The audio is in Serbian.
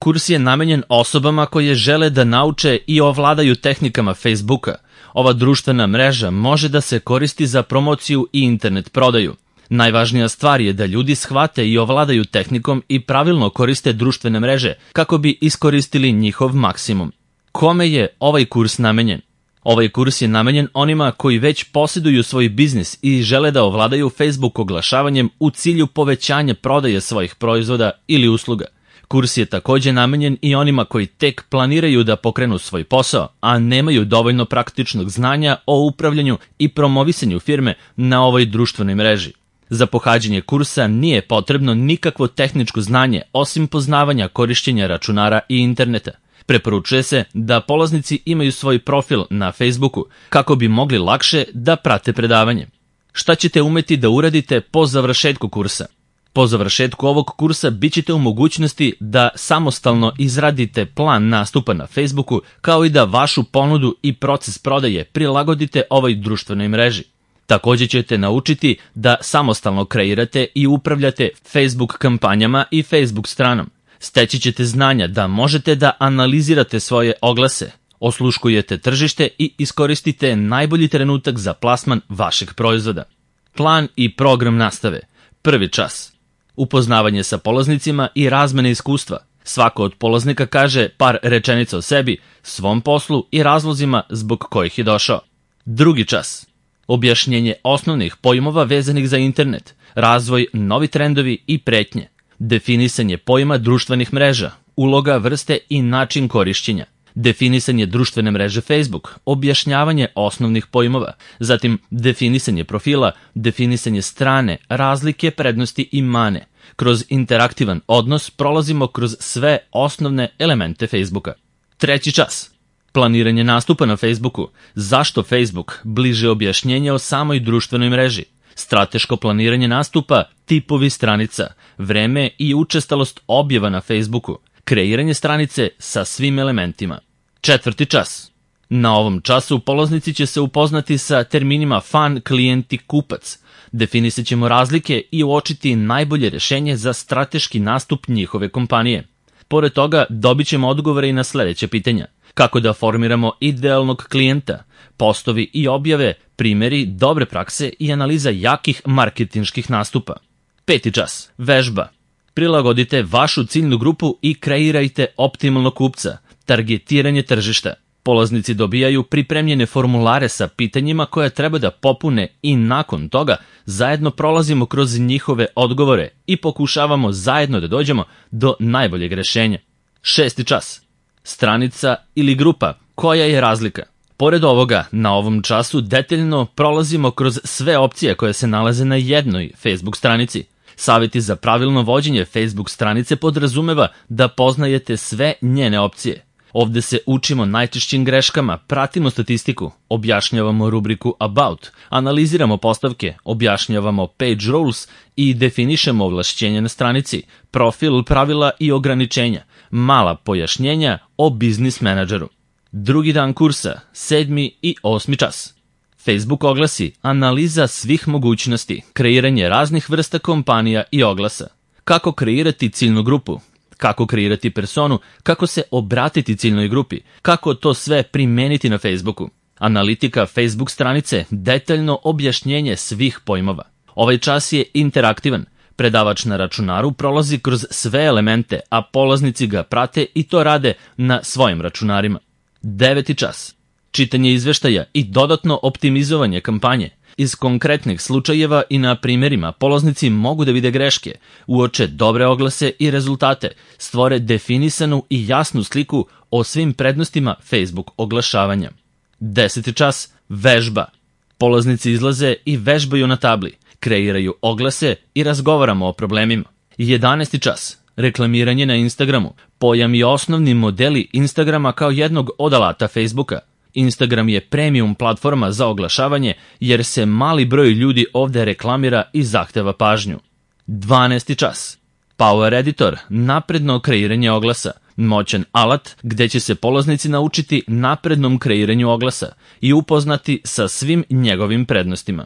Kurs je namenjen osobama koje žele da nauče i ovladaju tehnikama Facebooka. Ova društvena mreža može da se koristi za promociju i internet prodaju. Najvažnija stvar je da ljudi shvate i ovladaju tehnikom i pravilno koriste društvene mreže kako bi iskoristili njihov maksimum. Kome je ovaj kurs namenjen? Ovaj kurs je namenjen onima koji već posjeduju svoj biznis i žele da ovladaju Facebook oglašavanjem u cilju povećanja prodaje svojih proizvoda ili usluga. Kurs je također namenjen i onima koji tek planiraju da pokrenu svoj posao, a nemaju dovoljno praktičnog znanja o upravljanju i promovisanju firme na ovoj društvenoj mreži. Za pohađanje kursa nije potrebno nikakvo tehničko znanje osim poznavanja korišćenja računara i interneta. Preporučuje se da polaznici imaju svoj profil na Facebooku kako bi mogli lakše da prate predavanje. Šta ćete umeti da uradite po završetku kursa? Po završetku ovog kursa bit ćete u mogućnosti da samostalno izradite plan nastupa na Facebooku, kao i da vašu ponudu i proces prodaje prilagodite ovoj društvenoj mreži. Također ćete naučiti da samostalno kreirate i upravljate Facebook kampanjama i Facebook stranom. Steći ćete znanja da možete da analizirate svoje oglase, osluškujete tržište i iskoristite najbolji trenutak za plasman vašeg proizvoda. Plan i program nastave. Prvi čas. Upoznavanje sa polaznicima i razmene iskustva. Svako od polaznika kaže par rečenica o sebi, svom poslu i razlozima zbog kojih je došao. Drugi čas. Objašnjenje osnovnih pojmova vezanih za internet, razvoj, novi trendovi i pretnje. Definisanje pojma društvenih mreža, uloga, vrste i način korišćenja. Definisanje društvene mreže Facebook, objašnjavanje osnovnih pojmova, zatim definisanje profila, definisanje strane, razlike, prednosti i mane. Kroz interaktivan odnos prolazimo kroz sve osnovne elemente Facebooka. Treći čas. Planiranje nastupa na Facebooku. Zašto Facebook? Bliže objašnjenje o samoj društvenoj mreži. Strateško planiranje nastupa, tipovi stranica, vreme i učestalost objava na Facebooku. Kreiranje stranice sa svim elementima. Četvrti čas. Na ovom času polaznici će se upoznati sa terminima fan, klijent i kupac. Definisat ćemo razlike i uočiti najbolje rješenje za strateški nastup njihove kompanije. Pored toga dobit ćemo odgovore i na sljedeće pitanja. Kako da formiramo idealnog klijenta, postovi i objave, primjeri, dobre prakse i analiza jakih marketinških nastupa. Peti čas. Vežba. Prilagodite vašu ciljnu grupu i kreirajte optimalnog kupca. Targetiranje tržišta. Polaznici dobijaju pripremljene formulare sa pitanjima koje treba da popune i nakon toga zajedno prolazimo kroz njihove odgovore i pokušavamo zajedno da dođemo do najboljeg rješenja. Šesti čas. Stranica ili grupa. Koja je razlika? Pored ovoga, na ovom času detaljno prolazimo kroz sve opcije koje se nalaze na jednoj Facebook stranici. Savjeti za pravilno vođenje Facebook stranice podrazumeva da poznajete sve njene opcije. Ovdje se učimo najčešćim greškama, pratimo statistiku, objašnjavamo rubriku About, analiziramo postavke, objašnjavamo page rules i definišemo ovlašćenja na stranici, profil, pravila i ograničenja, mala pojašnjenja o biznis menadžeru. Drugi dan kursa, 7. i 8. čas. Facebook oglasi, analiza svih mogućnosti, kreiranje raznih vrsta kompanija i oglasa. Kako kreirati ciljnu grupu? Kako kreirati personu, kako se obratiti ciljnoj grupi, kako to sve primeniti na Facebooku. Analitika Facebook stranice, detaljno objašnjenje svih pojmova. Ovaj čas je interaktivan. Predavač na računaru prolazi kroz sve elemente, a polaznici ga prate i to rade na svojim računarima. 9. čas. Čitanje izveštaja i dodatno optimizovanje kampanje. Iz konkretnih slučajeva i na primjerima polaznici mogu da vide greške, uoče dobre oglase i rezultate, stvore definisanu i jasnu sliku o svim prednostima Facebook oglašavanja. 10. čas. Vežba. Polaznici izlaze i vežbaju na tabli, kreiraju oglase i razgovaramo o problemima. 11. čas. Reklamiranje na Instagramu. Pojam i osnovni modeli Instagrama kao jednog od alata Facebooka. Instagram je premium platforma za oglašavanje jer se mali broj ljudi ovdje reklamira i zahteva pažnju. 12. čas. Power Editor, napredno kreiranje oglasa. Moćan alat gdje će se polaznici naučiti naprednom kreiranju oglasa i upoznati sa svim njegovim prednostima.